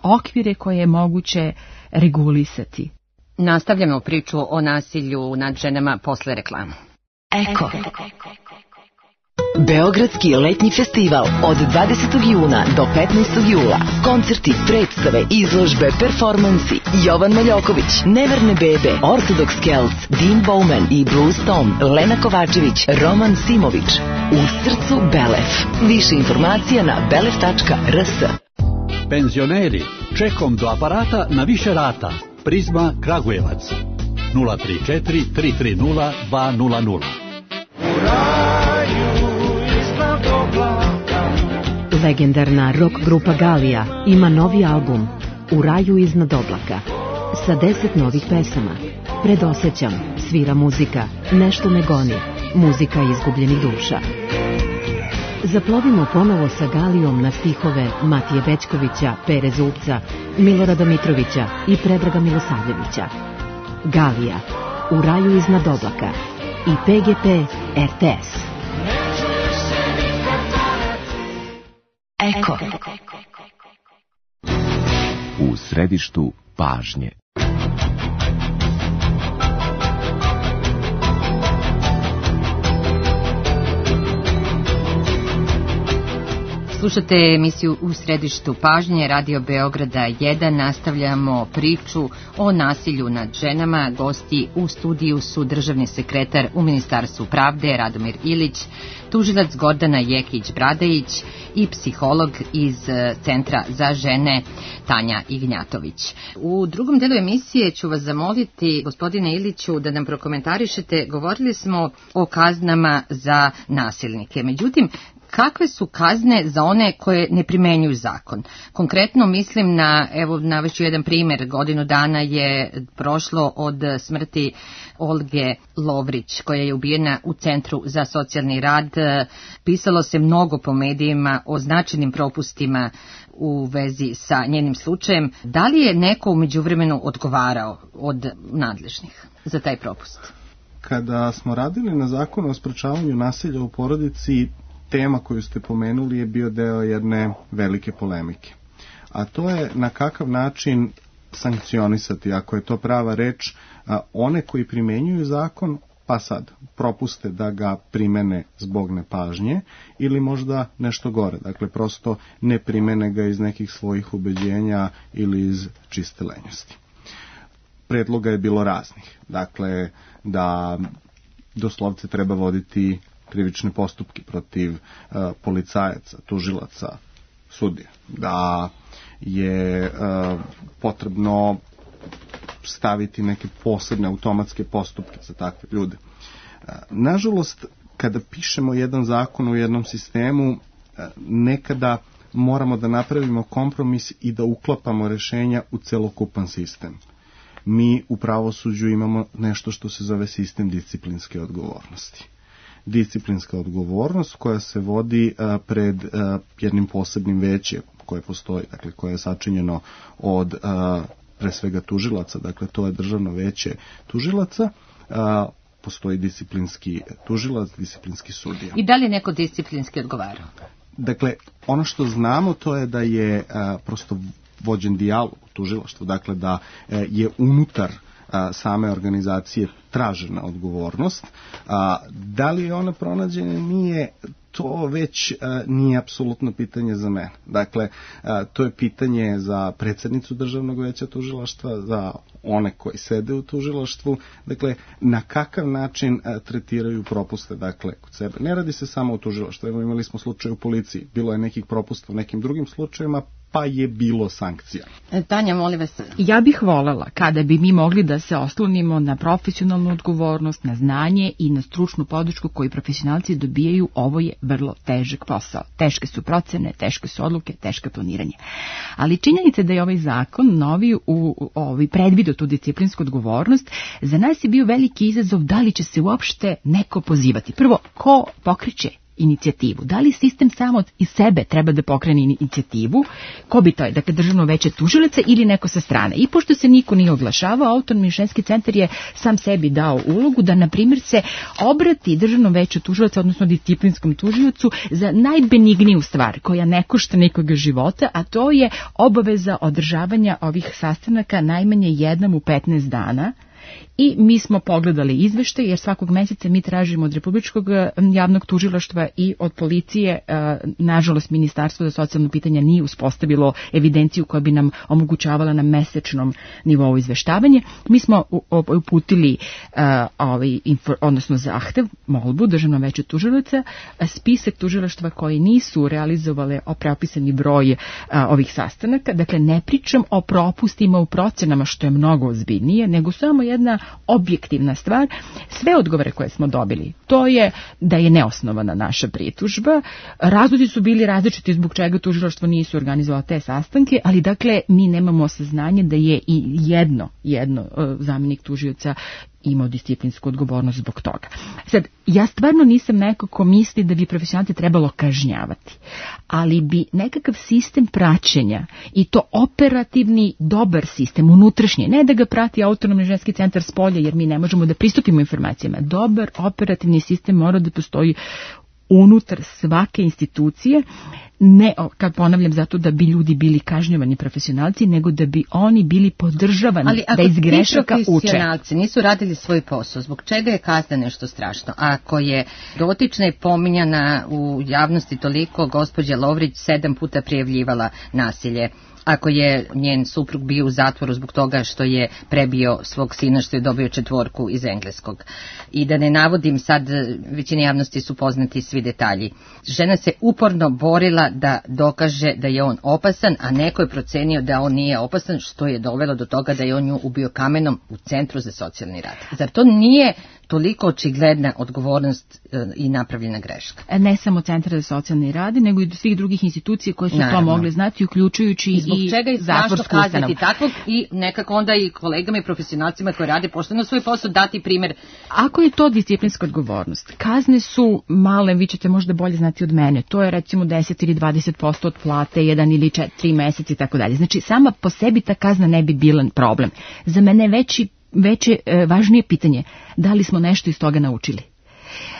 okvire koje je moguće regulisati. Nastavljamo priču o nasilju nad ženama posle reklama. Eko. Beogradski letnji festival od dvadesetog juna do petnaestog jula. Koncerti, predstave, izložbe, performansi. Jovan Maljoković, Neverne bebe, Orthodox Celts, Dean Bowman i Blues Tom, Lena Kovačević, Roman Simović. U srcu Belef. Više informacija na belef tačka r s. Penzioneri, čekom do aparata na više rata. Prizma Kragujevac. nula tri četiri tri tri nula dva nula nula. Legendarna rock grupa Galija ima novi album U raju iznad oblaka sa deset novih pesama. Predosećam, svira muzika, nešto me goni, muzika izgubljenih duša. Zaplovimo ponovo sa Galijom na stihove Matije Bećkovića, Pere Zupca, Milorada Mitrovića i Predraga Milosavljevića. Galija, U raju iznad oblaka i P G P R T S. Eko. U središtu pažnje. Slušate emisiju U središtu pažnje, Radio Beograda jedan. Nastavljamo priču o nasilju nad ženama. Gosti u studiju su državni sekretar u Ministarstvu pravde Radomir Ilić, tužilac Gordana Jekić-Bradejić i psiholog iz Centra za žene Tanja Ignjatović. U drugom delu emisije ću vas zamoliti, gospodine Iliću, da nam prokomentarišete. Govorili smo o kaznama za nasilnike. Međutim, kakve su kazne za one koje ne primenjuju zakon? Konkretno mislim na, evo navešću jedan primjer, godinu dana je prošlo od smrti Olge Lovrić, koja je ubijena u Centru za socijalni rad. Pisalo se mnogo po medijima o značajnim propustima u vezi sa njenim slučajem. Da li je neko u međuvremenu odgovarao od nadležnih za taj propust? Kada smo radili na zakonu o sprečavanju nasilja u porodici, tema koju ste pomenuli je bio deo jedne velike polemike. A to je na kakav način sankcionisati, ako je to prava reč, one koji primenjuju zakon, pa sad propuste da ga primene zbog nepažnje ili možda nešto gore. Dakle, prosto ne primene ga iz nekih svojih ubeđenja ili iz čiste lenjosti. Predloga je bilo raznih. Dakle, da doslovce treba voditi krivične postupke protiv uh, policajaca, tužilaca, sudija, da je uh, potrebno staviti neke posebne automatske postupke za takve ljude. Uh, nažalost, kada pišemo jedan zakon u jednom sistemu, uh, nekada moramo da napravimo kompromis i da uklapamo rešenja u celokupan sistem. Mi u pravosuđu imamo nešto što se zove sistem disciplinske odgovornosti. Disciplinska odgovornost koja se vodi a, pred a, jednim posebnim većem koje postoji, dakle koje je sačinjeno od a, pre svega tužilaca, dakle to je državno veće tužilaca, a, postoji disciplinski tužilac, disciplinski sudija. I da li je neko disciplinski odgovarao? Dakle, ono što znamo to je da je a, prosto vođen dijalog u tužilaštvu, dakle da a, je unutar a, same organizacije tražena odgovornost. A, da li je ona pronađena, nije, to već a, nije apsolutno pitanje za mene. Dakle, a, to je pitanje za predsjednicu Državnog veća tužilaštva, za one koji sede u tužilaštvu, dakle, na kakav način a, tretiraju propuste, dakle, kod sebe. Ne radi se samo o tužilaštvu, evo imali smo slučaj u policiji, bilo je nekih propusta u nekim drugim slučajevima, pa je bilo sankcija. Tanja, molim vas. Ja bih voljela kada bi mi mogli da se oslonimo na profesionalnu odgovornost, na znanje i na stručnu podršku koju profesionalci dobijaju. Ovo je vrlo težak posao. Teške su procene, teške su odluke, teško planiranje. Ali činjenica da je ovaj zakon novi u, u ovaj predvidio tu disciplinsku odgovornost, za nas je bio veliki izazov da li će se uopšte neko pozivati. Prvo, ko pokreće inicijativu? Da li sistem samo iz sebe treba da pokrene inicijativu? Ko bi to je? Dakle, Državno veće tužilaca ili neko sa strane? I pošto se niko nije oglašavao, Autonomni ženski centar je sam sebi dao ulogu da, na primjer, se obrati Državnom veću tužilaca, odnosno disciplinskom tužiocu, za najbenigniju stvar koja ne košta nikoga života, a to je obaveza održavanja ovih sastanaka najmanje jednom u petnaest dana. I mi smo pogledali izveštaj, jer svakog meseca mi tražimo od Republičkog javnog tužilaštva i od policije. Nažalost, Ministarstvo za socijalno pitanja nije uspostavilo evidenciju koja bi nam omogućavala na mesečnom nivou izveštavanje. Mi smo uputili ovaj, odnosno zahtev, molbu Državnom veću tužilaca, spisak tužilaštva koji nisu realizovale propisani broj ovih sastanaka. Dakle, ne pričam o propustima u procenama, što je mnogo ozbiljnije, nego samo jedna jedna objektivna stvar. Sve odgovore koje smo dobili, to je da je neosnovana naša pritužba. Razlozi su bili različiti zbog čega tužilaštvo nisu organizovalo te sastanke, ali dakle mi nemamo saznanje da je i jedno, jedno zamjenik tužioca imao disciplinsku odgovornost zbog toga. Sad, ja stvarno nisam neko ko misli da bi profesionalce trebalo kažnjavati, ali bi nekakav sistem praćenja i to operativni dobar sistem, unutrašnji, ne da ga prati autonomni ženski centar s polja jer mi ne možemo da pristupimo informacijama. Dobar operativni sistem mora da postoji unutar svake institucije, ne, kad ponavljam, zato da bi ljudi bili kažnjavani profesionalci, nego da bi oni bili podržavani da iz grešaka uče. Ali ako ti profesionalci nisu radili svoj posao, zbog čega je kazna nešto strašno? Ako je dotična i pominjana u javnosti toliko, gospođa Lovrić sedam puta prijavljivala nasilje, ako je njen suprug bio u zatvoru zbog toga što je prebio svog sina, što je dobio četvorku iz engleskog. I da ne navodim sad, većini javnosti su poznati svi detalji. Žena se uporno borila da dokaže da je on opasan, a neko je procenio da on nije opasan, što je dovelo do toga da je on nju ubio kamenom u Centru za socijalni rad. Zar to nije toliko očigledna odgovornost e, i napravljena greška? Ne samo Centra za socijalni rad, nego i do svih drugih institucija koje su Naravno. to mogle znati, uključujući i, zbog čega je strašno kazati takvog i nekako onda i kolegama i profesionalcima koji rade pošteno svoj posao dati primjer. Ako je to disciplinska odgovornost, kazne su male, vi ćete možda bolje znati od mene, to je recimo deset ili dvadeset posto od plate, jedan ili četiri meseci i tako dalje. Znači sama po sebi ta kazna ne bi bila problem. Za mene veći veće, važnije pitanje, da li smo nešto iz toga naučili.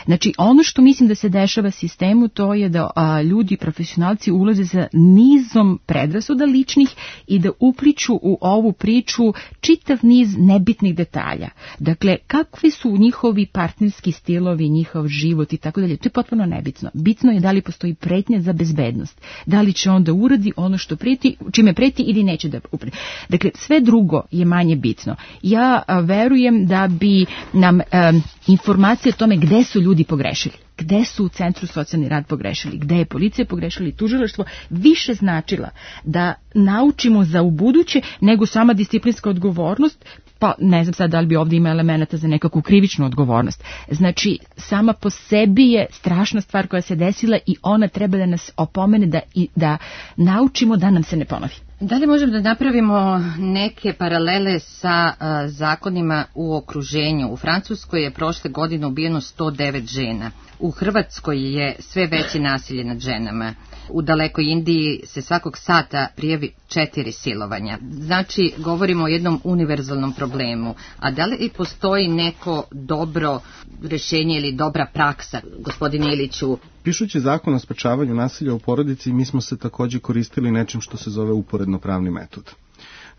Znači, ono što mislim da se dešava sistemu, to je da a, ljudi, profesionalci ulaze sa nizom predrasuda ličnih i da upliču u ovu priču čitav niz nebitnih detalja. Dakle, kakvi su njihovi partnerski stilovi, njihov život i tako dalje, to je potpuno nebitno. Bitno je da li postoji pretnja za bezbednost, da li će on da uradi ono što preti, čime preti ili neće da upreti. Dakle, sve drugo je manje bitno. Ja a, verujem da bi nam a, informacije o tome gde su ljudi pogrešili, gde su u Centru socijalni rad pogrešili, gde je policija pogrešila i tužilaštvo, više značila da naučimo za ubuduće nego sama disciplinska odgovornost, pa ne znam sad da li bi ovdje ima elemenata za nekakvu krivičnu odgovornost. Znači, sama po sebi je strašna stvar koja se desila i ona treba da nas opomene da, i, da naučimo da nam se ne ponovi. Da li možemo da napravimo neke paralele sa uh, zakonima u okruženju? U Francuskoj je prošle godine ubijeno sto devet žena. U Hrvatskoj je sve veće nasilje nad ženama. U dalekoj Indiji se svakog sata prijavi četiri silovanja. Znači, govorimo o jednom univerzalnom problemu. A da li postoji neko dobro rješenje ili dobra praksa, gospodine Iliću? Pišući zakon o sprečavanju nasilja u porodici, mi smo se također koristili nečim što se zove uporedno pravni metod.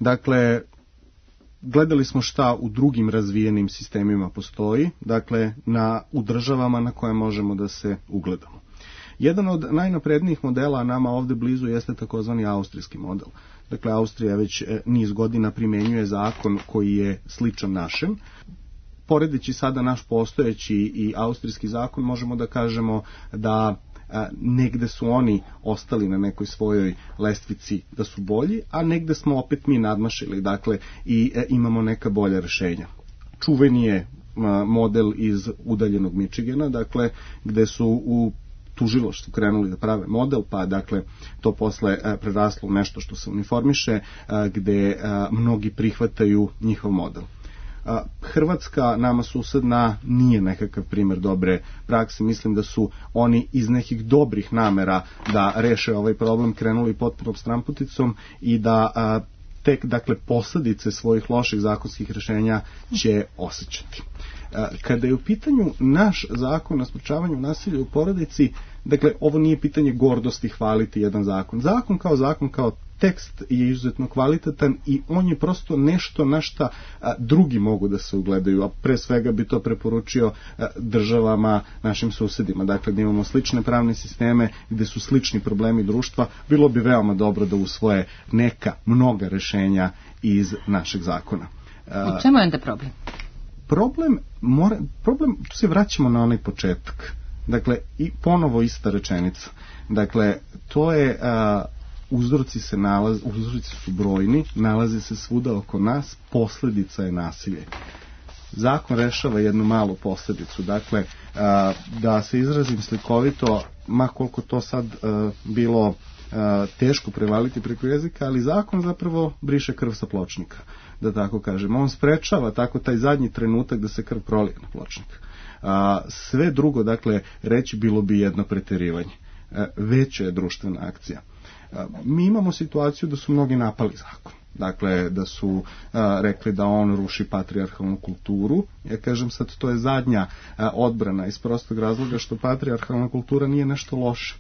Dakle, gledali smo šta u drugim razvijenim sistemima postoji, dakle, na, u državama na koje možemo da se ugledamo. Jedan od najnaprednijih modela nama ovde blizu jeste takozvani austrijski model. Dakle, Austrija već niz godina primjenjuje zakon koji je sličan našem. Poredeći sada naš postojeći i austrijski zakon, možemo da kažemo da a, negde su oni ostali na nekoj svojoj lestvici da su bolji, a negde smo opet mi nadmašili, dakle, i e, imamo neka bolja rešenja. Čuveni je a, model iz udaljenog Michigana, dakle, gde su u tužilaštvu krenuli da prave model, pa dakle to posle a, preraslo u nešto što se uniformiše, a, gde a, mnogi prihvataju njihov model. Hrvatska, nama susedna, nije nekakav primjer dobre prakse. Mislim da su oni iz nekih dobrih namera da reše ovaj problem krenuli potpunom stramputicom i da a, tek, dakle, posljedice svojih loših zakonskih rješenja će osjećati. A, kada je u pitanju naš zakon o sprečavanju nasilja u porodici, dakle, ovo nije pitanje gordosti hvaliti jedan zakon. Zakon kao zakon, kao tekst je izuzetno kvalitetan i on je prosto nešto na šta a, drugi mogu da se ugledaju, a pre svega bi to preporučio a, državama, našim susedima. Dakle, da imamo slične pravne sisteme gde su slični problemi društva, bilo bi veoma dobro da usvoje neka, mnoga rešenja iz našeg zakona. U čemu je onda problem? Problem, mora, problem, tu se vraćamo na onaj početak. Dakle, i ponovo ista rečenica. Dakle, to je... A, uzroci se nalaze, uzroci su brojni, nalaze se svuda oko nas, posljedica je nasilje. zakon rešava jednu malu posljedicu. Dakle, da se izrazim slikovito, ma koliko to sad bilo teško prevaliti preko jezika, ali zakon zapravo briše krv sa pločnika, da tako kažem. On sprečava tako taj zadnji trenutak da se krv prolije na pločnik. Sve drugo, dakle, reći bilo bi jedno preterivanje. Veća je društvena akcija. Mi imamo situaciju da su mnogi napali zakon. Dakle, da su a, rekli da on ruši patrijarhalnu kulturu. Ja kažem sad, to je zadnja a, odbrana iz prostog razloga što patrijarhalna kultura nije nešto loše.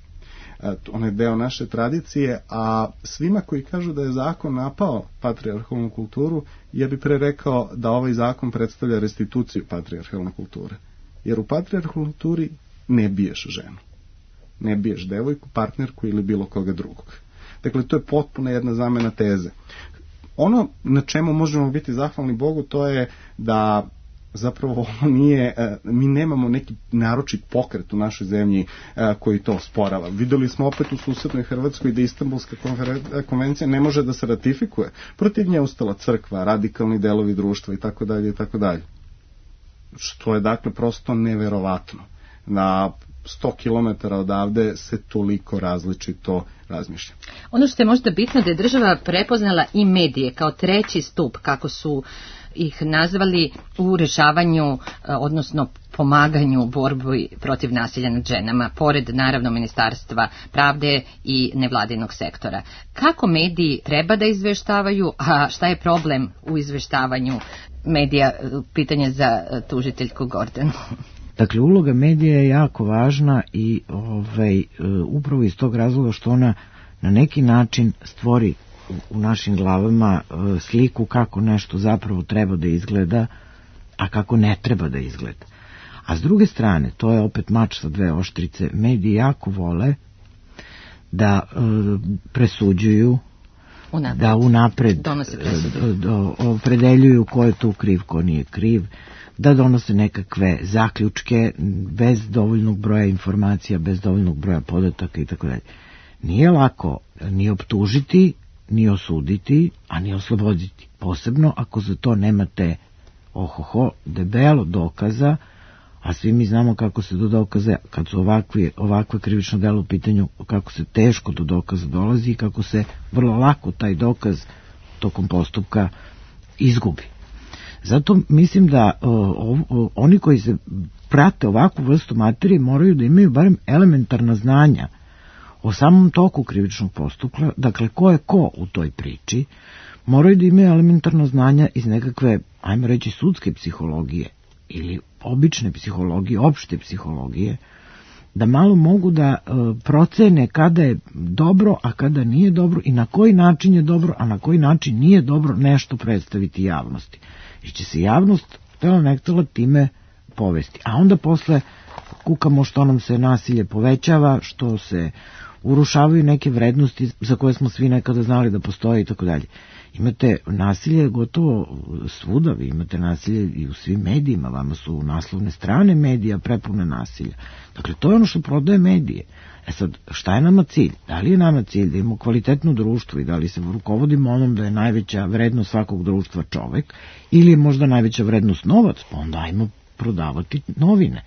A, ona je deo naše tradicije, a svima koji kažu da je zakon napao patrijarhalnu kulturu, ja bih pre rekao da ovaj zakon predstavlja restituciju patrijarhalne kulture. Jer u patrijarhalnoj kulturi ne biješ ženu. Ne biješ devojku, partnerku ili bilo koga drugog. Dakle, to je potpuno jedna zamena teze. Ono na čemu možemo biti zahvalni Bogu, to je da zapravo nije, mi nemamo neki naročit pokret u našoj zemlji koji to osporava. Videli smo opet u susednoj Hrvatskoj da Istanbulska konvencija ne može da se ratifikuje. Protiv nje ustala crkva, radikalni delovi društva i tako dalje i tako dalje. Što je dakle prosto neverovatno. Na sto kilometara odavde se toliko različito razmišlja. Ono što je možda bitno da je država prepoznala i medije kao treći stup, kako su ih nazvali, u rešavanju, odnosno pomaganju u borbi protiv nasilja nad ženama, pored naravno Ministarstva pravde i nevladinog sektora. Kako mediji treba da izveštavaju, a šta je problem u izveštavanju medija? Pitanje za tužiteljku Gordanu. Dakle, uloga medija je jako važna i ovaj, upravo iz tog razloga što ona na neki način stvori u našim glavama sliku kako nešto zapravo treba da izgleda, a kako ne treba da izgleda. A s druge strane, to je opet mač sa dve oštrice, mediji jako vole da e, presuđuju, unapred. da unapred opredeljuju ko je tu kriv, ko nije kriv, da donose nekakve zaključke bez dovoljnog broja informacija, bez dovoljnog broja podataka i tako dalje. Nije lako ni optužiti, ni osuditi, a ni osloboditi. Posebno ako za to nemate ohoho, debelo dokaza, a svi mi znamo kako se do dokaza, kad su ovakvi, ovakve krivično delo u pitanju, kako se teško do dokaza dolazi i kako se vrlo lako taj dokaz tokom postupka izgubi. Zato mislim da o, o, oni koji se prate ovakvu vrstu materije moraju da imaju barem elementarna znanja o samom toku krivičnog postupka, dakle ko je ko u toj priči, moraju da imaju elementarno znanja iz nekakve, ajmo reći, sudske psihologije ili obične psihologije, opšte psihologije, da malo mogu da e, procene kada je dobro, a kada nije dobro i na koji način je dobro, a na koji način nije dobro nešto predstaviti javnosti. Jer će se javnost, htjela ne htjela, time povesti. A onda posle kukamo što nam se nasilje povećava, što se urušavaju neke vrednosti za koje smo svi nekada znali da postoje i tako dalje. Imate nasilje gotovo svuda, vi imate nasilje i u svim medijima, vama su naslovne strane medija prepune nasilja. Dakle, to je ono što prodaje medije. E sad, šta je nama cilj? Da li je nama cilj da imamo kvalitetno društvo i da li se rukovodimo onom da je najveća vrednost svakog društva čovek, ili je možda najveća vrednost novac, pa onda ajmo prodavati novine.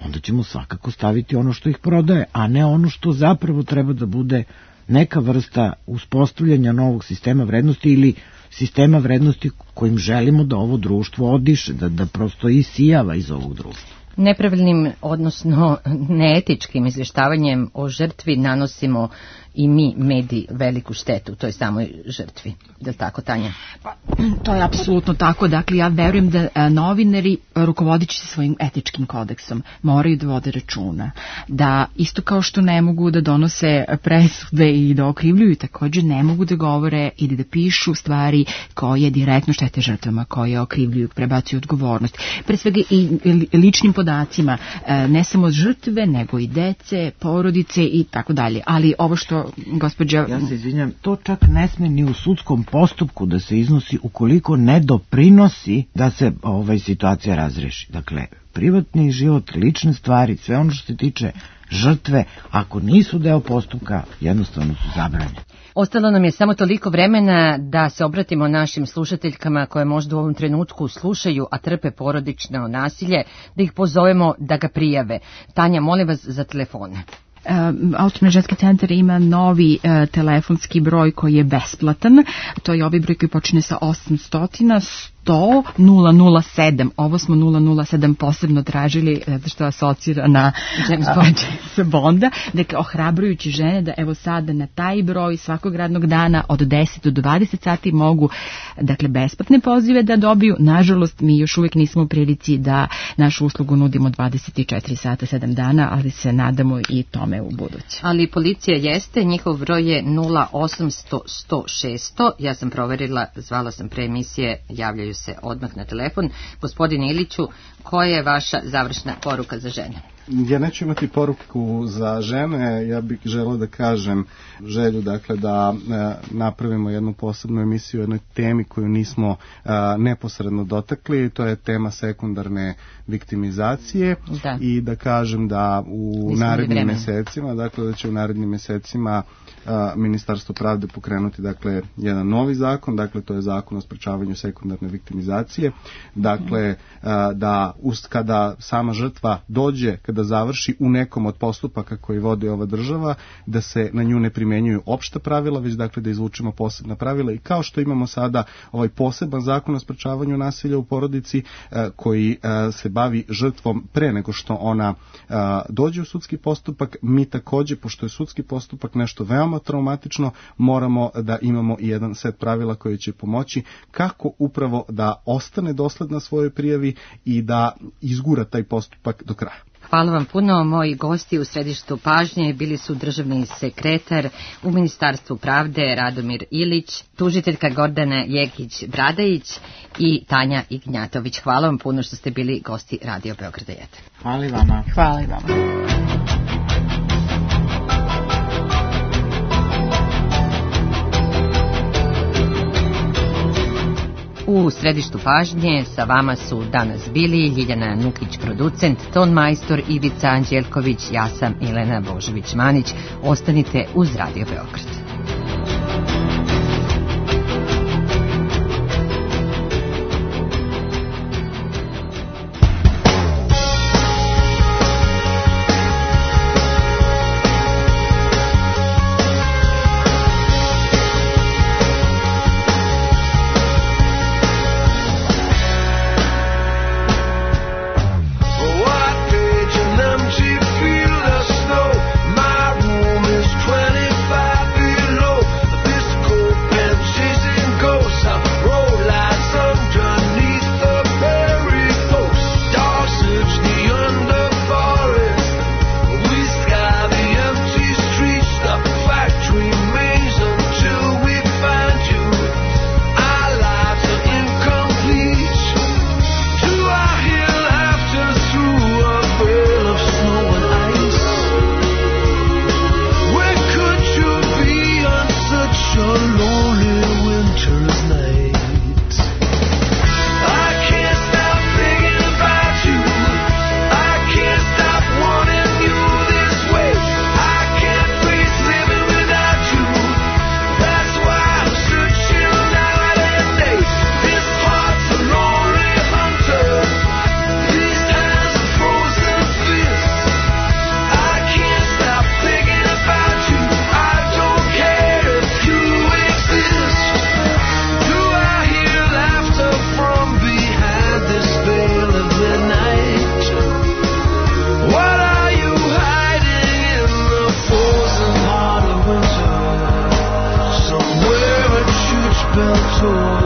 Onda ćemo svakako staviti ono što ih prodaje, a ne ono što zapravo treba da bude neka vrsta uspostavljanja novog sistema vrednosti ili sistema vrednosti kojim želimo da ovo društvo odiše, da, da prosto isijava iz ovog društva. Nepravilnim, odnosno neetičkim izvještavanjem o žrtvi nanosimo i mi, mediji, veliku štetu toj samoj žrtvi. Je li tako, Tanja? Pa, to je apsolutno tako. Dakle, ja verujem da a, novinari, rukovodići se svojim etičkim kodeksom, moraju da vode računa. Da isto kao što ne mogu da donose presude i da okrivljuju, također ne mogu da govore ili da pišu stvari koje direktno štete žrtvama, koje okrivljuju, prebacuju odgovornost. Pre svega i ličnim podacima, ne samo žrtve, nego i dece, porodice i tako dalje. Ali ovo što gospođa... Ja se izvinjam, to čak ne sme ni u sudskom postupku da se iznosi ukoliko ne doprinosi da se ovaj situacija razreši. Dakle, privatni život, lične stvari, sve ono što se tiče žrtve, ako nisu deo postupka, jednostavno su zabranjene. Ostalo nam je samo toliko vremena da se obratimo našim slušateljkama koje možda u ovom trenutku slušaju, a trpe porodično nasilje, da ih pozovemo da ga prijave. Tanja, molim vas za telefone. Autonomni ženski centar ima novi uh, telefonski broj koji je besplatan. To je ovaj broj koji počine sa osamsto, sto, nula nula sedam. Ovo smo nula nula sedam posebno tražili zato što asocira na James Bonda. Dakle, ohrabrujući žene da evo sada na taj broj svakog radnog dana od deset do dvadeset sati mogu, dakle, besplatne pozive da dobiju. Nažalost, mi još uvijek nismo u prilici da našu uslugu nudimo dvadeset četiri sata, sedam dana, ali se nadamo i tome u buduće. Ali policija jeste, njihov broj je nula osamsto, sto, šesto. Ja sam proverila, zvala sam pre emisije, javljaju se odmah na telefon. Gospodine Iliću, koja je vaša završna poruka za žene? Ja neću imati poruku za žene, ja bih želeo da kažem želju, dakle, da e, napravimo jednu posebnu emisiju o jednoj temi koju nismo e, neposredno dotakli, to je tema sekundarne viktimizacije. Da. I da kažem da u nismo narednim mesecima, dakle da će u narednim mesecima a, Ministarstvo pravde pokrenuti, dakle, jedan novi zakon, dakle to je zakon o sprečavanju sekundarne viktimizacije, dakle a, da ust, kada sama žrtva dođe, kada završi u nekom od postupaka koji vodi ova država, da se na nju ne primenjuju opšta pravila, već dakle da izvučemo posebna pravila, i kao što imamo sada ovaj poseban zakon o sprečavanju nasilja u porodici a, koji a, se bavi žrtvom pre nego što ona a, dođe u sudski postupak, mi takođe, pošto je sudski postupak nešto veoma traumatično, moramo da imamo i jedan set pravila koji će pomoći kako upravo da ostane dosledna svojoj prijavi i da izgura taj postupak do kraja. Hvala vam puno. Moji gosti u središtu pažnje bili su državni sekretar u Ministarstvu pravde Radomir Ilić, tužiteljka Gordana Jekić-Bradajić i Tanja Ignjatović. Hvala vam puno što ste bili gosti Radio Beograda jedan. Hvala i vama. Hvala i vama. U središtu pažnje sa vama su danas bili Ljiljana Nukić, producent, ton majstor Ivica Anđelković, ja sam Milena Božović-Manić. Ostanite uz Radio Beograd. Tour.